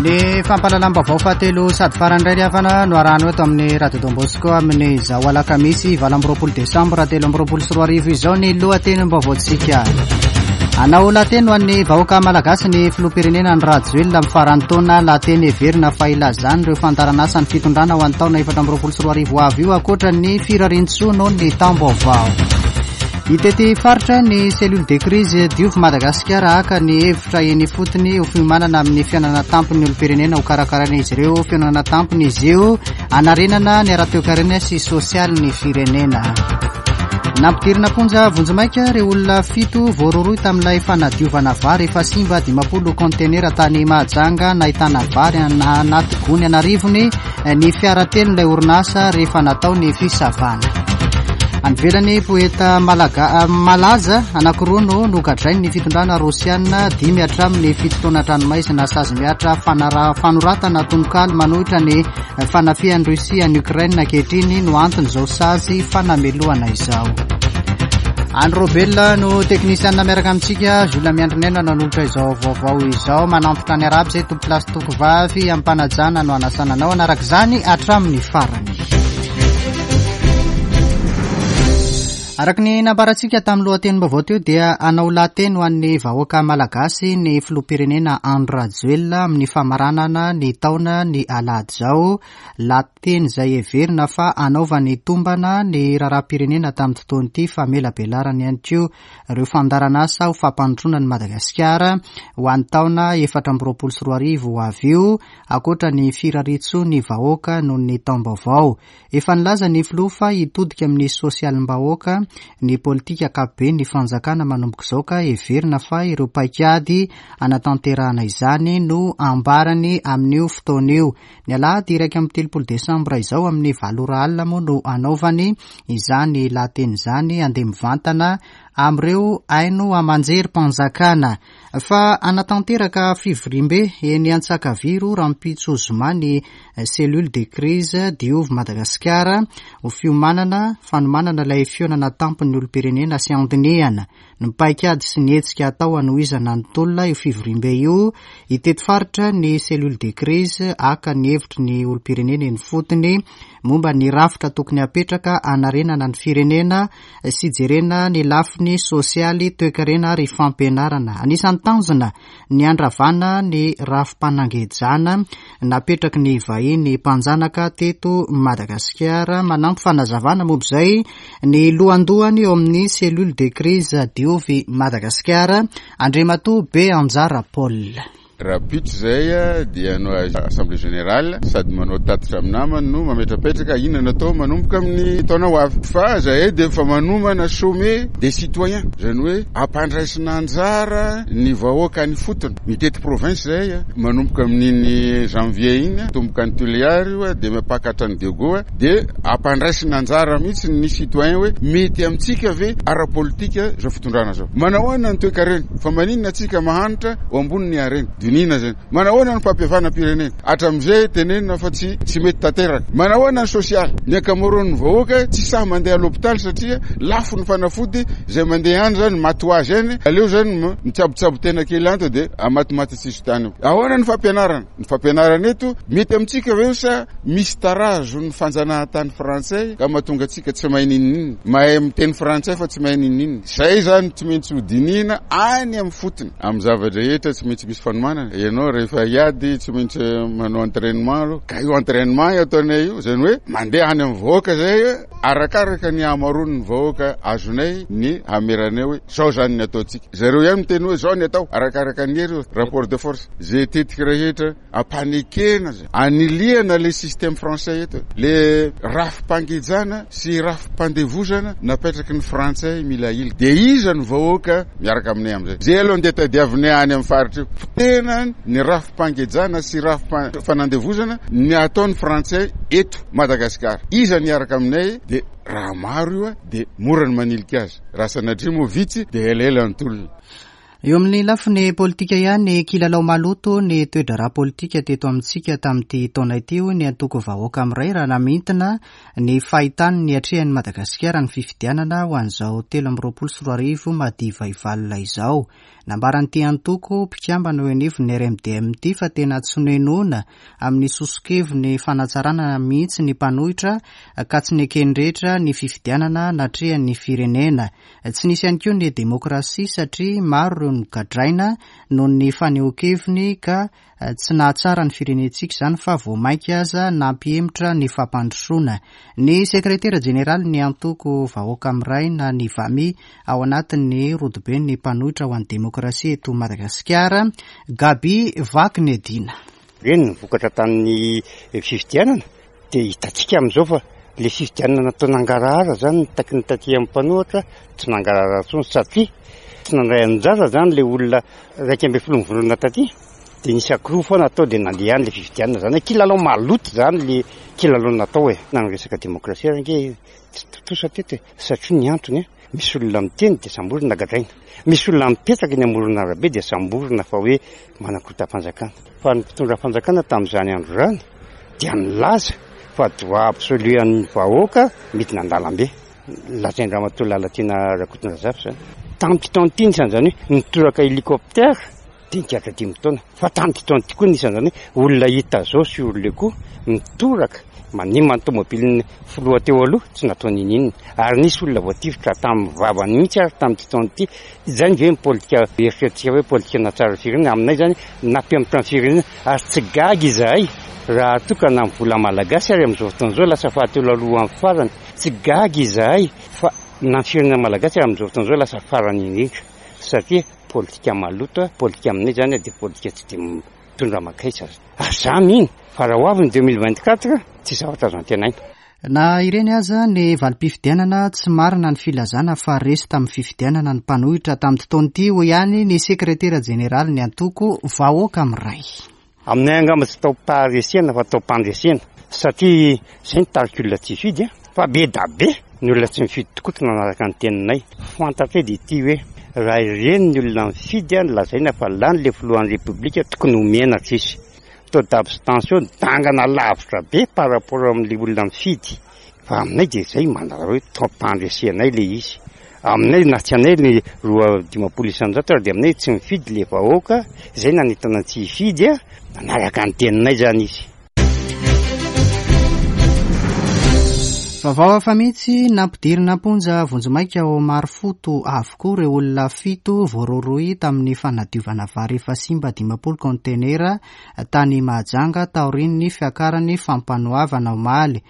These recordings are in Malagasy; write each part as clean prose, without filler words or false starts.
Ny fampahalalam-baovao fahatelo sady farany indray ry havana no arahana eto amin'ny Radio Don Bosco amin'izao alakamisy 28 desambra 2023 izao ny lohatenim-baovaontsika. Hanao lahateny ho an'ny vahoaka malagasy ny filoham-pirenena Andry Rajoelina amin'ny faran'ny taona, lahateny heverina fa ilazany ireo fandaharan'asan'ny fitondrana ho an'ny taona 2024 ho avy io ankoatra ny firarian-tsoa noho ny taom-baovao. Hitety faritra ny cellule de crise Diovy Madagasikara haka ny hevitra eny ifotony ho fiomanana amin'ny fihaonana tampon'ny olom-pirenena ho karakarain'izy ireo. Fihaonana tampony izy io hanarenana ny ara-toekarena sy sosialin'ny firenena. Nampidirina am-ponja vonjimaika ireo olona fito voarohirohy tamin'ilay fanadiovana vary efa simba 50 kaontenera tany Mahajanga. Nahitana vary anaty gony an'arivony ny fiara telon'ilay orinasa rehefa natao ny fisavana. Any ivelany, poeta malaga, malaza anankiroa no nogadrain'ny fitondrana rosiana dimy hatramin'ny fito taona an-tranomaizina sazy mihatra fanara, fanoratana tononkalo manohitra ny fanafihan'i Russie an'i Ukraine ankehitriny no anton'izao sazy fanamelohana izao. Andry Robel no teknisianina miaraka amintsika, Jules Miandrinena nanolotra izao vaovao izao. Manantitra ny Arabo izay tompokolahy sy tompokovavy amim-panajana no anasana anao hanaraka izany hatramin'ny farany. Araka ny nambarantsika tamin'ny lohatenim-baovao teo dia hanao lahateny ho an'ny vahoaka malagasy ny filoham-pirenena Andry Rajoelina amin'ny famaranana ny taona ny alahady izao. Lahateny izay heverina fa hanaovany tombana ny raharaham-pirenena tamin'ity taona ity famelabelarany ihany koa ireo fandaharanasa ho fampandrosoana an'i Madagasikara ho an'ny taona 2024 ho avy io, ankoatra ny firariantsoa ny vahoaka noho ny taom-baovao. Efa nilaza ny filoha fa hitodika amin'ny sosialim-bahoaka ny politika ankapoben'ny fanjakana manomboka izao ka heverina fa ireo paikady hanatanterahana izany no ambarany amin'io fotoana io. Ny alahady 31 desambra izao amin'ny valo ora alina moa no hanaovany izany lahateny izany handeha mivantana amin'ireo haino aman-jerim-panjakana. Fa hanatanteraka fivoriambe eny Antsakaviro rahampitso zoma ny Cellule de crise Diovy Madagasikara ho fiomanana fanomanana ilay fihaonana tampon'ny olom-pirenena sy handinihana ny paikady sy ny hetsika hatao hanohizana ny tolona io fivoriambe io. Hitety faritra ny Cellule de crise haka ny hevitry ny olom-pirenena eny ifotony momba ny rafitra tokony hapetraka hanarenana ny firenena sy jerena ny lafiny sosialy, toekarena ary fampianarana. Anisan'ny tanjona ny handravana ny rafi-panangejana napetraky ny vahiny mpanjanaka teto Madagasikara. Manampy fanazavana momba izay ny lohandohany eo amin'ny Cellule de crise Diovy Madagasikara, Andriamatoa Beanjara Paul. Rahampitso izay dia hanao assemblée générale sady manao tatitra amin'ny namany no mametrapetraka inona no atao manomboka amin'ny taona ho avy. Fa zahay dia efa manomana sommet des citoyens, izany hoe ampandraisina anjara ny vahoaka any ifotony. Mitety province zahay manomboka amin'iny janvier iny, atomboka any Tuléar io dia mipaka hatrany Diego dia ampandraisina anjara mihitsy ny citoyen hoe mety amintsika ve ara-politika izao fitondrana izao. Manahoana ny toekarena? Fa maninona antsika mahantra ho ambonin'ny harena? Dinihina izany. Manahoana ny fampihavanam-pirenena? Hatramin'izay tenenina fa tsy tsy mety tanteraka. Manahoana ny sosialy? Ny ankamaroan'ny vahoaka tsy sahy mandeha à l'hôpital satria lafo ny fanafody, izay mandeha any izany maty ho azy any, aleo izany mitsabotsabo tena kely any to dia matimaty tsisy tany. Ahoana ny fampianarana? Ny fampianarana eto mety amintsika ve sa misy tarazo ny fanjanahantany frantsay ka mahatonga antsika tsy mahay n'inon'inona? Mahay miteny frantsay fa tsy mahay n'inon'inona. Izay izany tsy maintsy ho dinihina any amin'ny fotony. Amin'ny zava-drehetra tsy maintsy misy fanomanana. Ianao rehefa hiady tsy maintsy manao entrainement aloha. Ka io entrainement io ataonay io, izany hoe mandeha any amin'ny vahoaka izay, arakaraka ny hamaroan'ny vahoaka azonay ny hameranay hoe izao izany ny ataontsika. Zareo ihany miteny hoe izao ny atao, arakaraka ny hery io, rapport de force. Izay tetika rehetra ampanekena zay, anilihana le système français eto, le rafi-pangejana sy rafi-pandevozana napetraky ny frantsay mila ahilika. Dia iza no vahoaka miaraka aminay amizay? Zay aloha ndeha tadiavinay any amin'ny faritra io. Potehina ny rafi-pangejana sy rafi-panandevozana ny ataon'ny frantsay eto Madagasikara. Iza no hiaraka aminay? Dia raha maro io dia mora ny manilika azy. Raha sanatria moa vitsy dia elaela ny tolona. Eo amin'ny lafiny politika ihany, kilalao maloto ny toe-draharaha politika teto amintsika tamin'ity taona ity, hoy ny antoko Vahoaka Miray raha namintina ny fahitany ny atrehan'i Madagasikara ny fifidianana ho an'izao 2023 madiva hivalona izao. Nambaran'ity antoko mpikambana eo anivon'ny RMDM ity fa tena tsy nohenoina amin'ny soso-keviny fanatsarana mihitsy ny mpanohitra ka tsy neken'ny rehetra ny fifidianana natrehan'ny firenena. Tsy nisy ihany koa ny demokrasia satria maro ireo nogadraina noho ny fanehoan-keviny ka tsy nahatsara ny firenentsika izany fa vao mainka aza nampihemotra ny fampandrosoana. Ny sekretera jeneralin'ny antoko Vahoaka Miray na ny VAMI ao anatin'ny rodoben'ny mpanohitra ho an'ny demokrasia eto Madagasikara, Gaby Vakinedina. Ireny ny vokatra tamin'ny fifidianana dia hitantsika amin'izao fa ilay fifidianana natao nangarahara izany ny takin'ny taty amin'ny mpanohitra tsy nangarahara intsony satria tsy nandray anjara izany ilay olona 11 mivondrona taty dia nisy ankiroa foana atao dia nandeha ihany ilay fifidianana izany hoe kilalao maloto izany ilay kilalao natao e. Na ny resaka demokrasia ary ange tsy tontosa teto e satria ny antony e, misy olona miteny dia samborina gadraina, misy olona mipetraka eny amoron'arabe dia samborina fa hoe manakorontam-panjakana. Fa ny mpitondra fanjakana tamin'izany andro izany dia nilaza fa droit absolu an'ny vahoaka midina an-dalambe. Lazain-dRamatoa Lalatiana Rakotondrazafy izany. Tamin'ity taona ity nisan'izany hoe nitoraka hélicoptère dia nigadra dimy taona. Fa tamin'ity taona ity koa nisan'izany hoe olona hita zao sur le coup mitoraka manimba ny tomobilin'ny filoha teo aloha tsy natao n'inon'inona. Ary nisy olona voatifitra tamin'ny vavany mihitsy ary tamin'ity taona ity. Izany ve ny politika eritreritintsika hoe politika nahatsara ny firenena? Aminay izany nampihemotra ny firenena ary tsy gaga izahay raha toa ka na ny vola malagasy ary amin'izao fotoana izao lasa fahatelo alohan'ny farany. Tsy gaga izahay fa na ny firenena malagasy ary amin'izao fotoana izao lasa farany indrindra satria politika maloto, politika aminay izany dia politika tsy dia mitondra mankaiza. Ary za mino fa raha ho avy ny 2024 tsy zavatra azo antenaina. Na ireny aza ny valim-pifidianana, tsy marina ny filazana fa resy tamin'ny fifidianana ny mpanohitra tamin'ity taona ity, hoy ihany ny sekretera jeneralin'ny antoko Vahoaka Miray. Aminay angamba tsy taom-paharesena fa taom-pandresena satria izay ny tarika olona tsy hifidy a! Fa be da be ny olona tsy mifidy tokoa tsy nanaraka ny teninay. Fantatray dia ity hoe raha ireny ny olona mifidy no lazaina fa lany ilay filohan'ny repoblika tokony ho menatra izy. Taux d'abstention dangana lavitra be par rapport amin'ilay olona mifidy. Fa aminay dia izay manala hoe taom-pandresenay ilay izy. Aminay na tsy anay ny 52% ary dia aminay tsy mifidy ilay vahoaka izay nanentana tsy hifidy, nanaraka ny teninay izany izy. Vaovao hafa mihitsy, nampidirina am-ponja vonjimaika ao Marofoto avokoa ireo olona fito voarohirohy tamin'ny fanadiovana vary efa simba 50 kaontenera tany Mahajanga taorian'ny fiakaran'ny fampanoavana omaly.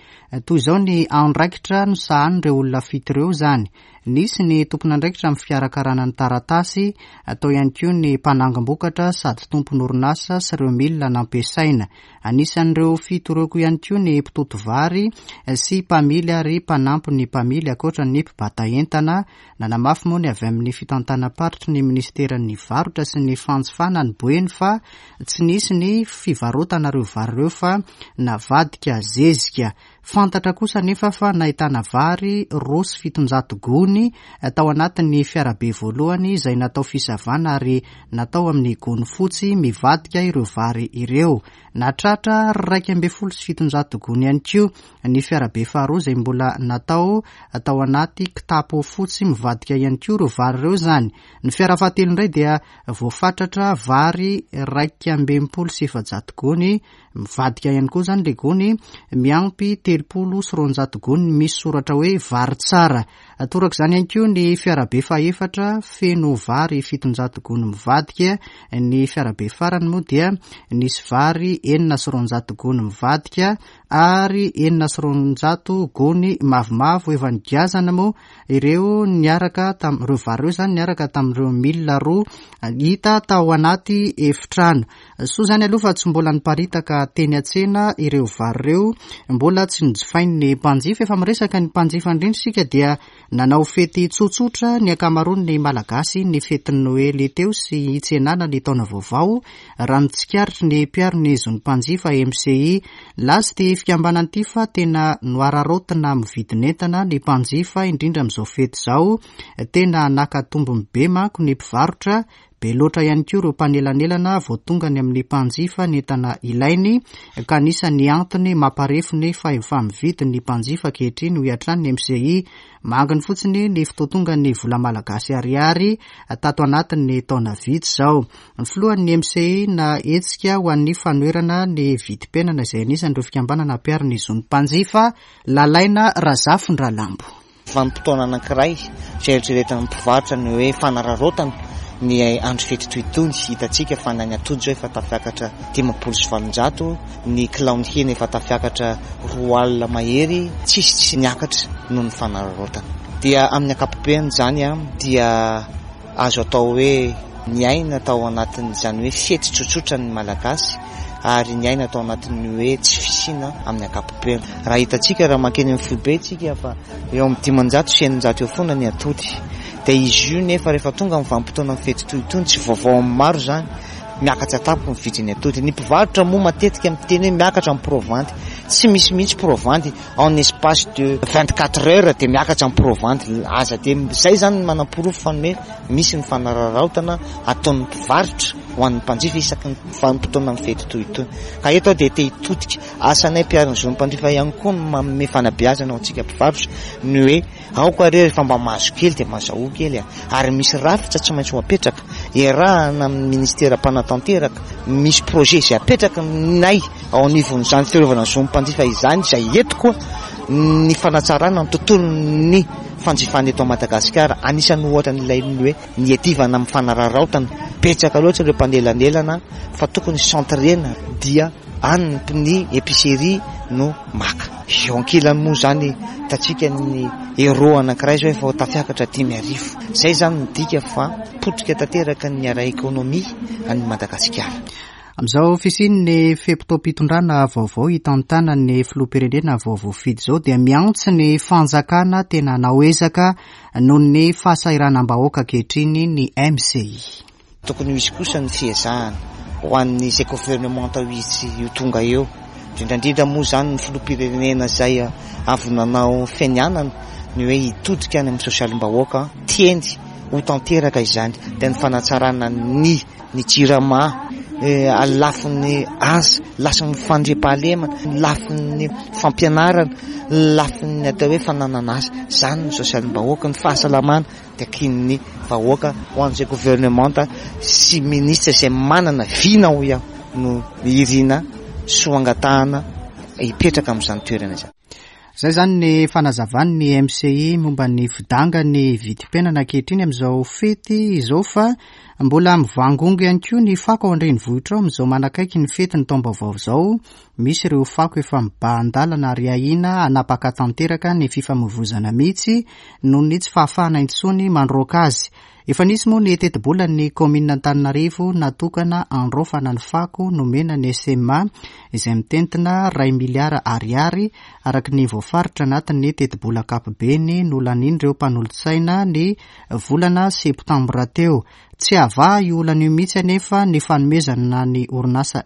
Toy izao ny andraikitra nosahanin'ireo olona fito ireo izany. Nisy ny tompon'andraikitra amin'ny fikarakarana ny taratasy, tao ihany koa ny mpanangom-bokatra sady tompon'orinasa sy ireo milina nampiasaina. Anisan'ireo fito ireo koa ihany koa ny mpitoto vary sy mpamily ary mpanampy ny mpamily ankoatra ny mpibata entana. Nanamafy moa ny avy amin'ny fitantanam-paritry ny minisiteran'ny varotra sy ny fanjifana any Boeny fa tsy nisy ny fivarotana ireo vary ireo fa navadika zezika. Fantatra kosa anefa fa nahitana vary 702 gony tao anatin'ny fiarabe voalohany izay natao fisavana ary natao amin'ny gony fotsy mivadika ireo vary ireo. Nahatratra 711 gony ihany koa ny fiarabe faharoa izay mbola natao tao anaty kitapo fotsy mivadika ihany koa ireo vary ireo izany. Ny fiara fahatelo indray dia voafatratra vary 461 gony Mivadika ihany koa izany ilay gony miampy 230 gony misy soratra hoe vary tsara. Toraka izany ihany koa ny fiarabe fahefatra feno vary 700 gony mivadika. Ny fiarabe farany moa dia nisy vary 206 gony mivadika ary 206 gony mavomavo efa nigiazana moa ireo niaraka tamin'ireo vary ireo izany niaraka tamin'ireo milina roa hita tao anaty efitrano. Soa izany aloha fa tsy mbola niparitaka teny an-tsena ireo vary ireo, mbola tsy nojifain'ny mpanjifa. Efa miresaka ny mpanjifa indrindra isika dia nanao fety tsotsotra ny ankamaroan'ny Malagasy ny fetin'ny Noely teo sy hitsenana ny taona vaovao, raha ny tsikaritry ny mpiaro ny zon'ny mpanjifa MCI. Nilaza ity fikambanana ity fa tena noararaotina amin'ny vidin'entana ny mpanjifa indrindra amin'izao fety izao. Tena naka tombony be manko ny mpivarotra. Be loatra ihany koa ireo mpanelanelana vao tonga any amin'ny mpanjifa ny entana ilainy ka anisan'ny antony mamparefo ny fahefa-mividy ny mpanjifa ankehitriny, hoy hatrany ny MCI. Manginy fotsiny ny fotoan-tongan'ny vola malagasy ariary tato anatin'ny taona vitsy izao. Ny filohan'ny MCI na hetsika ho an'ny fanoherana ny vidim-piainana izay anisan'ireo fikambanana mpiaro ny zon'ny mpanjifa, Lalaina Razafindralambo. Vanim-potoana anankiray izay eritreretin'ny mpivarotra ny hoe fanararaotana ny andro fety toy itony. Hitantsika fa na ny atody izao efa tafiakatra 850, ny kilaon'ny hena efa tafiakatra 20 mahery, tsisy tsy niakatra noho ny fanararaotana. Dia amin'ny ankapobeny izany dia Azo atao hoe niaina tao anatin'izany hoe fety tsotsotra ny Malagasy ary niaina tao anatin'ny hoe tsy fisiana amin'ny ankapobeny. Raha hitantsika raha mankeny amin'ny foibe isika fa eo amin'ny 500 sy 600 eo foana ny atody. Dia izy io nefa rehefa tonga amin'ny vanim-potoanan'ny fety toy itony, tsy vaovao amin'ny maro izany, miakatra tampoka ny vidin'ny atody. Ny mpivarotra moa matetika miteny hoe miakatra ny provanty. Tsy misy mihitsy provanty. En espace de 24 heures dia miakatra ny provanty. Aza dia izay izany no manaporofo fa ny hoe misy ny fanararaotana ataon'ny mpivarotra ho an'ny mpanjifa isaky ny vanim-potoanan'ny fety toy itony. Ka eto aho dia te hitodika, asanay mpiaro ny zon'ny mpanjifa ihany koa ny manome fanabeazana ho antsika mpivarotra ny hoe aoka re rehefa mba mahazo kely dia mazahoa kely a! Ary misy rafitra tsy maintsy ho apetraka, iarahana amin'ny ministera mpanatanteraka, misy projet izay apetraka nay ao anivon'izany fiarovana ny zon'ny mpanjifa izany izay eto koa ny fanatsarana ny tontolon'ny fanjifana eto Madagasikara. Anisan'ny ohatra ny ilain'ny hoe ny hiadivana amin'ny fanararaotana. Betsaka loatra ireo mpanelanelana fa tokony centrena dia any ny épicerie no maka. Eo ankilany moa izany hitantsika ny euro anankiray izao efa ho tafiakatra 5000. Izay izany midika fa potika tanteraka ny ara-ekonomia an'i Madagasikara. Amin'izao fisian'ny fe-potoam-pitondrana vaovao hitantanan'ny filoham-pirenena vao voafidy izao dia miantso ny fanjakana tena hanao ezaka noho ny fahasahiranam-bahoaka ankehitriny ny MCI. Tokony ho hisy kosa ny fiezahana ho an'izay governemanta ho hisy ho tonga eo, indrindra indrindra moa izany ny filoham-pirenena izay avy nanao fianianana ny hoe hitodika any amin'ny sosialim-bahoaka, tiany ho tanteraka izany dia ny fanatsarana ny ny jirama, lafiny asa, lafiny fandriampahalemana, lafiny fampianarana, lafiny atao hoe fananana asa, izany ny sosialim-bahoaka, ny fahasalamana takian'ny vahoaka ho an'izay governemanta sy minisitra izay manana vina hoy aho no irina sy ho angatahana hipetraka amin'izany toerana izany. Izay izany ny fanazavan'ny MCI momba ny fidangan'ny vidim-piainana ankehitriny amin'izao fety izao fa mbola mivangongo ihany koa ny fako ao an-drenivohitra ao amin'izao manakaiky ny fetin'ny taom-baovao izao. Misy ireo fako efa mibahan-dalana ary ahiana hanapaka tanteraka ny fifamoivoizana mihitsy noho ny tsy fahafahana intsony mandroaka azy. Efa nisy moa ny tetibolan'ny kaominina Antananarivo natokana handraofana ny fako nomena ny SMA izay mitentina iray miliara ariary araka ny voafaritra anatin'ny tetibola ankapobeny nolanian'ireo mpanolotsaina ny volana septambra teo. Tsy havaha io olana io mihitsy anefa ny fanomezana ny orinasa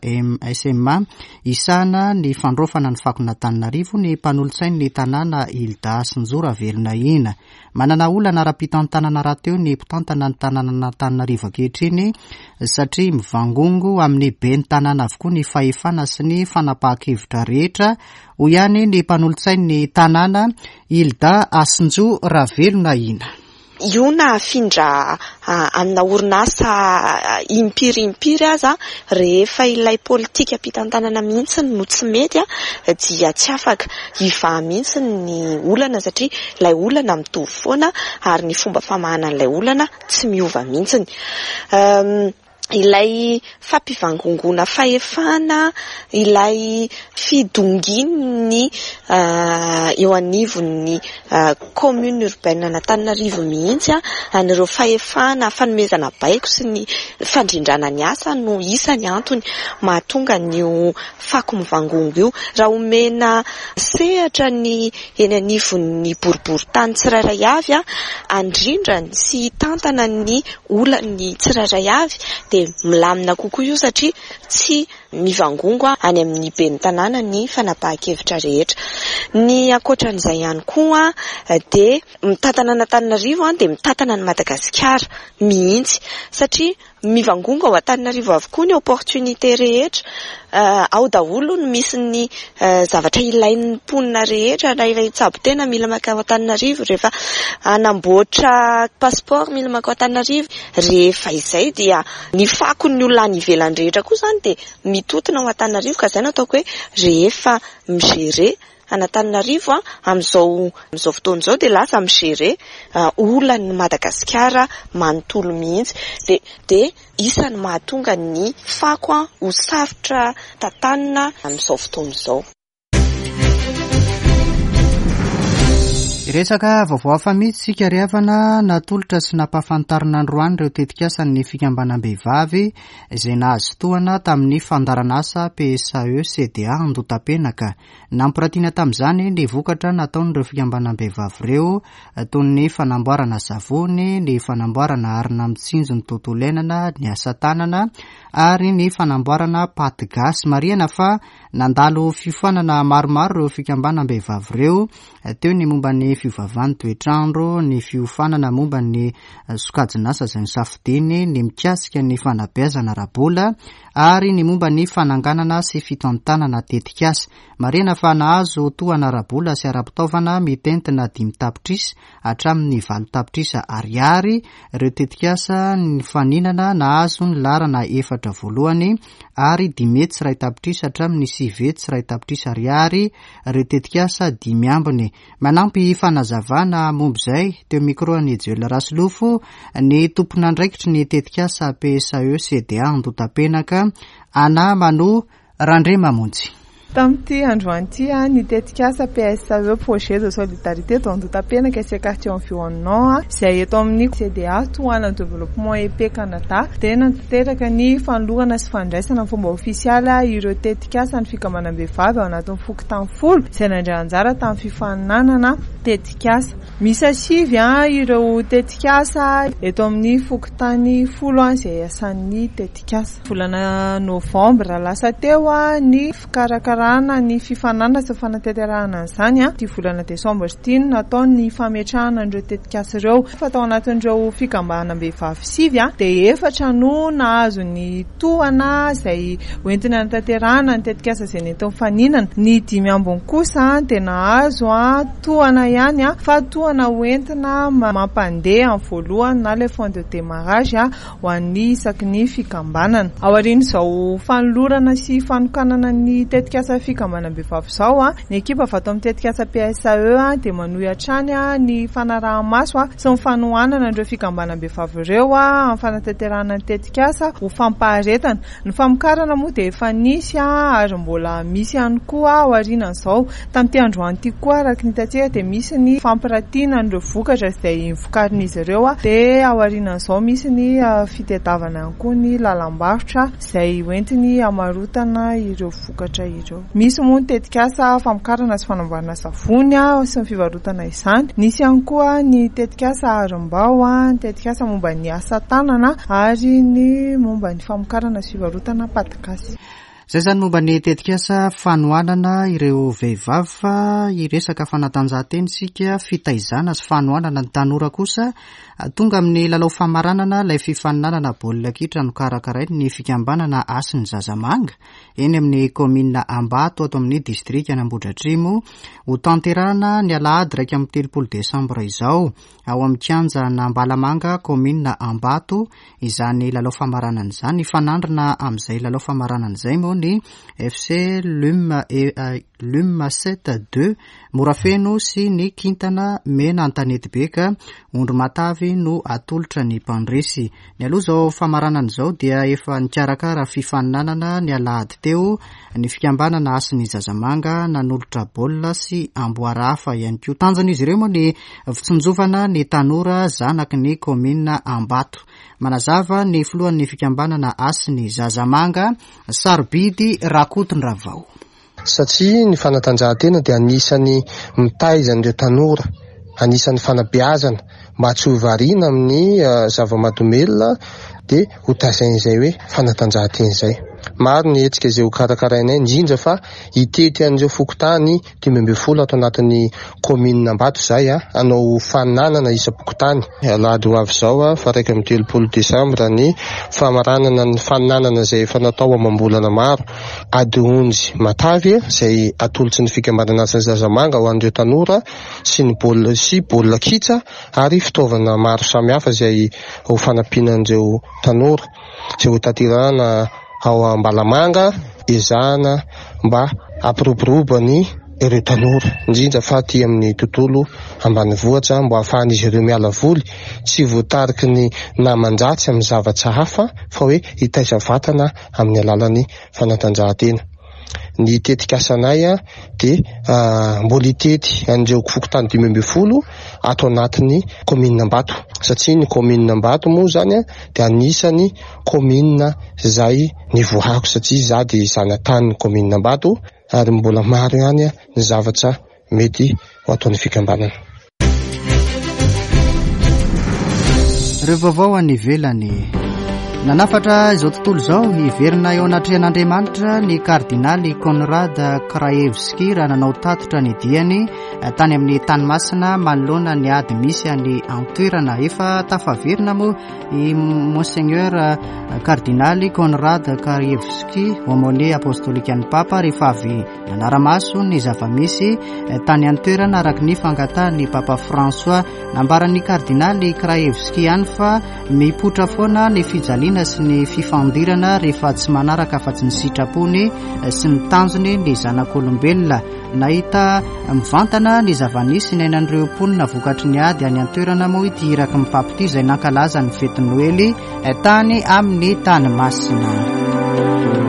SMA hisahana ny fandraofana ny fakon'Antananarivo ny mpanolotsain'ny tanàna Hilda Sinjo Ravelonahina. Manana olana ara-pitantanana rahateo ny mpitantana ny tanànan'Antananarivo ankehitriny satria mivangongo amin'ny ben'ny tanàna avokoa ny fahefana sy ny fanapahan-kevitra rehetra, hoy ihany ny mpanolotsain'ny tanàna, Hilda Hasinjo Ravelonahina. Io na afindra amina orinasa impiry impiry aza, rehefa ilay politikam-pitantanana mihitsy no tsy mety dia tsy afaka hivaha mihitsy ny olana satria ilay olana mitovy foana ary ny fomba famahana an'ilay olana tsy miova mihitsy. Ilay fampivangongoana fahefana, ilay fidongin'ny eo anivon'ny commune urbaine an'Antananarivo mihitsy an'ireo fahefana fanomezana baiko sy ny fandrindrana ny asa no isany antony mahatonga an'io fako mivangongo io. Raha omena sehatra ny eny anivon'ny boriborintany tsirairay avy handrindrany sy hitantana ny olan'ny tsirairay avy dia milamina kokoa io satria tsy mivangongo any amin'ny ben'ny tanàna ny fanapahan-kevitra rehetra. Ny ankoatran'izay ihany koa dia mitantana an'Antananarivo dia mitantana an'i Madagasikara mihitsy satria. Mivangongo ao Antananarivo avokoa ny opportunité rehetra. Ao daholo no misy ny zavatra ilain'ny mponina rehetra, na ilay hitsabo tena mila mankao Antananarivo, rehefa hanamboatra passeport mila mankao Antananarivo. Rehefa izay dia ny fakon'ny olona any ivelany rehetra koa izany dia mitotona ao Antananarivo, ka izay no ataoko hoe rehefa mi-gérer an'Antananarivo amin'izao amin'izao fotoana izao dia lasa mi-gérer olan'i Madagasikara manontolo mihitsy. Dia dia isan'ny mahatonga ny fako ho sarotra tantanina amin'izao fotoana izao. Hiresaka vaovao hafa mihitsy isika ry havana, natolotra sy nampahafantarina androany ireo tetikasan'ny fikambanam-behivavy izay nahazo tohana tamin'ny fandaharanasa PSAE CDA Andotapenaka. Nampiratiana tamin'izany ny vokatra nataon'ireo fikambanam-behivavy ireo toy ny fanamboarana savony, ny fanamboarana arina mitsinjo ny tontolo iainana, ny asa tanana ary ny fanamboarana paty gasy. Marihana fa nandalo fiofanana maromaro ireo fikambanam-behivavy ireo, teo ny momba ny fiovaovan'ny toetr'andro, ny fiofanana momba ny sokajin'asa izay nosafidiany, ny mikasika ny fanabeazana ara-bola ary ny momba ny fananganana sy fitantanana tetikasa. Marihana fa nahazo tohana ara-bola sy ara-pitaovana mitentina 5 tapitrisa hatramin'ny 8 tapitrisa ariary ireo tetikasa nifaninana nahazo ny laharana efatra voalohany ary 5 hetsy 1 tapitrisa hatramin'ny 9 hetsy 1 tapitrisa ariary ireo tetikasa dimy ambiny. Manampy fanazavana momba izay, teo micro an'i Joel Rasolofo, ny tompon'andraikitry ny tetikasa PSAE CDA Andotapenaka, Anna Mano Randriamamonjy. Tamin'ity androany ity, ny tetikasa PSAE Projet de Solidarité dans Andotapenaka et ses quartiers environnants izay eto amin'ny CDA tohanan'ny Développement EP Canada dia nanatanteraka ny fanolorana sy fandraisana amin'ny fomba ofisialy ireo tetikasan'ny fikambanam-behivavy ao anatin'ny fokontany 10 izay nandray anjara tamin'ny fifaninanana tetikasa. Miisa 9 ireo tetikasa eto amin'ny fokontany 10 izay iasan'ny tetikasa. Volana novambra lasa teo ny fikarakarana ny fifaninanana sy ny fanatanterahana an'izany. Ity volana desambra ity no natao ny fametrahana an'ireo tetikasa ireo. Fa tao anatin'ireo fikambanam-behivavy 9 dia 4 no nahazo ny tohana izay hoentina hanatanterahana ny tetikasa izay nentiny faninana. Ny 5 ambiny kosa dia nahazo tohana ihany fa tohana hoentina mampandeha amin'ny voalohany na ilay fonds de démarrage ho an'ny isaky ny fikambanana. Aorian'izao fanolorana sy fanokanana ny tetikasa fikambanam-behivavy izao, ny ekipa avy ato amin'ny tetikasa PSAE dia manohy hatrany ny fanaraha-maso sy ny fanohanana ireo fikambanam-behivavy ireo amin'ny fanatanterahana ny tetikasa ho fampaharetana. Ny famokarana moa dia efa nisy ary mbola misy ihany koa aorianan'izao. Tamin'ity androany ity koa araka ny hitantsika dia misy ny fampiratiana an'ireo vokatra izay vokarin'izy ireo. Dia aorianan'izao misy ny fitadiavana ihany koa ny lalam-barotra izay hoentiny hamarotana ireo vokatra ireo. Misy moa ny tetikasa famokarana sy fanamboarana savony sy ny fivarotana izany. Nisy ihany koa ny tetikasa Harimbao, ny tetikasa momba ny asa tanana ary ny momba ny famokarana sy fivarotana paty gasy. Izay izany momba ny tetikasa fanohanana ireo vehivavy fa hiresaka fanatanjahantena isika, fitaizana sy fanohanana ny tanora kosa. Tonga amin'ny lalao famaranana ilay fifaninanana baolina kitra nokarakarain'ny fikambanana Hasin'ny Zazamanga eny amin'ny kaominina Ambato ato amin'ny distrikan'Ambohidratrimo. Hotanterahina ny alahady 31 desambra izao ao amin'ny kianjan'Ambalamanga kaominina Ambato izany lalao famaranana izany. Hifanandrina amin'izay lalao famaranana izay moa ny FC Lum Lum 7 2 Morafeno sy ny Kintana Mena Antanetibe ka ondry matavy no atolotra ny mpandresy. Nialoha izao famaranana izao dia efa nikarakara fifaninanana ny alahady teo ny fikambanana Hasin'ny Zazamanga nanolotra baolina sy amboara hafa ihany koa. Tanjon'izy ireo moa ny fitsinjovana ny tanora zanaky ny kaominina Ambato. Manazava ny filohan'ny fikambanana Hasin'ny Zazamanga, Sarobidy Rakotondravao. Satria ny fanatanjahantena dia anisan'ny mitaiza an'ireo tanora, anisan'ny fanabeazana mba tsy ho variana amin'ny zava-mahadomelina dia ho taizain'izay hoe fanatanjahantena izay. Maro ny hetsika izay ho karakarainay indrindra fa hitety an'ireo fokontany 15 ato anatin'ny kaominina Ambato izahay hanao fananana isam-pokontany. Alahady ho avy izao faha 31 desambra ny famaranana ny fananana izay efa natao amam-bolana maro. Ady onjy matavy izay atolotry ny fikambanana Asa Zazamanga ho an'ireo tanora sy ny baolina sy baolina kitra ary fitaovana maro samihafa izay ho fanampiana an'ireo tanora izay ho tanterahana ao Ambalamanga ezahana mba hampiroborobo ny ireo tanora indrindra fa aty amin'ny tontolo ambanivohitra mba hahafahan'izy ireo miala voly tsy voatariky ny naman-dratsy amin'ny zavatra hafa fa hoe hitaiza vatana amin'ny alalan'ny fanatanjahantena. Ny tetikasanay dia mbola hitety an'ireo fokontany 15 ato anatin'ny kaominina Ambato satria ny kaominina Ambato moa izany dia anisan'ny kaominina izay nivoahako satria izaho dia zanatanin'ny kaominina Ambato ary mbola maro ihany ny zavatra mety ho ataon'ny fikambanana. Ireo vaovao any ivelany. Nanafatra izao tontolo izao hiverina eo anatrehan'Andriamanitra ny kardinaly Konrad Krajewski raha nanao tatitra ny diany tany amin'ny tany masina manoloana ny ady misy any an-toerana. Efa tafaverina moa i Monseigneur kardinaly Konrad Krajewski, aumônier apostolikan'ny Papa, rehefa avy Nanara-maso ny zava-misy tany an-toerana araka ny fangatahan'ny Papa François. Nambaran'ny kardinaly Krajewski ihany fa mipoitra foana ny fijaliana sy ny fifandirana rehefa tsy manaraka afa-tsy ny sitrapony sy ny tanjony ny zanak'olombelona. Nahita mivantana ny zava-nisy niainan'ireo mponina vokatry ny ady any an-toerana moa ity iraky ny Papa ity izay nankalaza ny fetin'ny Noely tany amin'ny tany masina.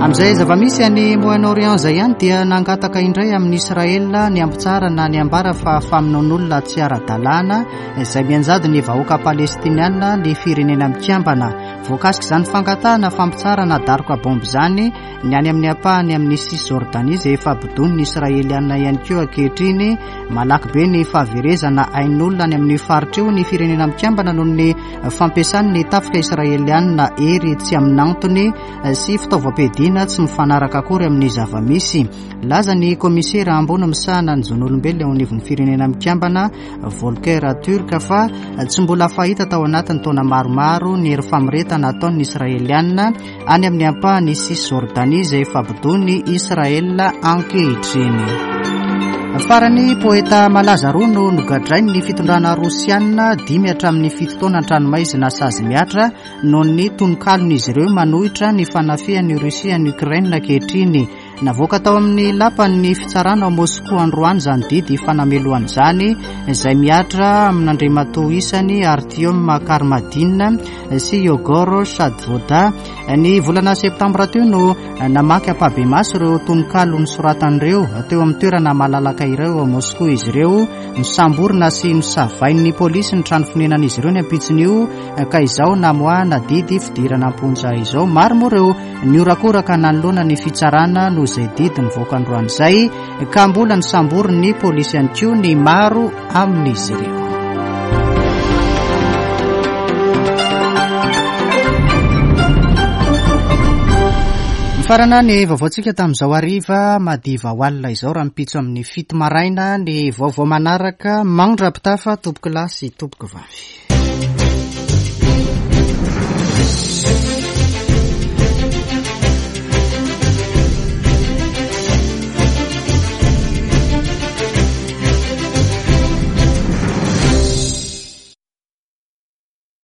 Amin'izay zava-misy any Moyen-Orient izay ihany dia nangataka indray amin'i Israel ny hampitsarana ny ambara fa famonoan'olona tsy ara-dalàna izay mianjady ny vahoaka palestiniana ny firenena mikambana. Voakasik'izany fangatahana fampitsarana daroka bomba izany ny any amin'ny ampahany amin'ny Cisjordanie izay efa bodoin'ny Israeliana ihany koa ankehitriny. Malaky be ny fahaverezana ain'olona any amin'ny faritra io ny firenena mikambana noho ny Fampiasany ny tafika israelianina hery tsy amin'antony sy fitaovam-piadiana tsy mifanaraka akory amin'ny zava-misy. Laza ny kaomisera ambony misahana ny zon'olombelona eo anivon'ny Firenena Mikambana, Volker Turk, fa tsy mbola fahita tao anatin'ny taona maromaro ny hery famoretana ataon'ny Israelianina any amin'ny ampahan'i Cisjordanie izay efa bodoin'i Israel ankehitriny. Farany, poeta malaza roa no nogadrain'ny fitondrana rosiana dimy hatramin'ny fito taona an-tranomaizina sazy mihatra noho ny tononkalon'izy ireo manohitra ny fanafihan'i Rosia an'i Ukraine ankehitriny. Navoaka tao amin'ny lapan'ny fitsarana ao Moskoa androany izany didy fanamelohana izany, izay mihatra amin'Andriamatoa isany Artyom Karmadin sy Yegor Shadvoda. Ny volana septambra teo no namaky ampahibemaso ireo tononkalo nosoratan'ireo teo amin'ny toerana malalaka iray ao Moskoa izy ireo. Nosamborina sy nosavain'ny polisy ny trano fonenan'izy ireo ny ampitson'io ka izao namoahana didy fidirana am-ponja izao. Maro moa ireo Nihorakoraka nanoloana ny fitsarana noho izay didy nivoaka androany izay ka mbola nosamborin'ny polisy ihany koa ny maro amin'izy ireo. Mifarana ny vaovaontsika tamin'izao hariva madiva ho alina izao rahampitso amin'ny fito maraina ny vaovao manaraka mandra-pitafa tompoko lahy sy tompoko vavy.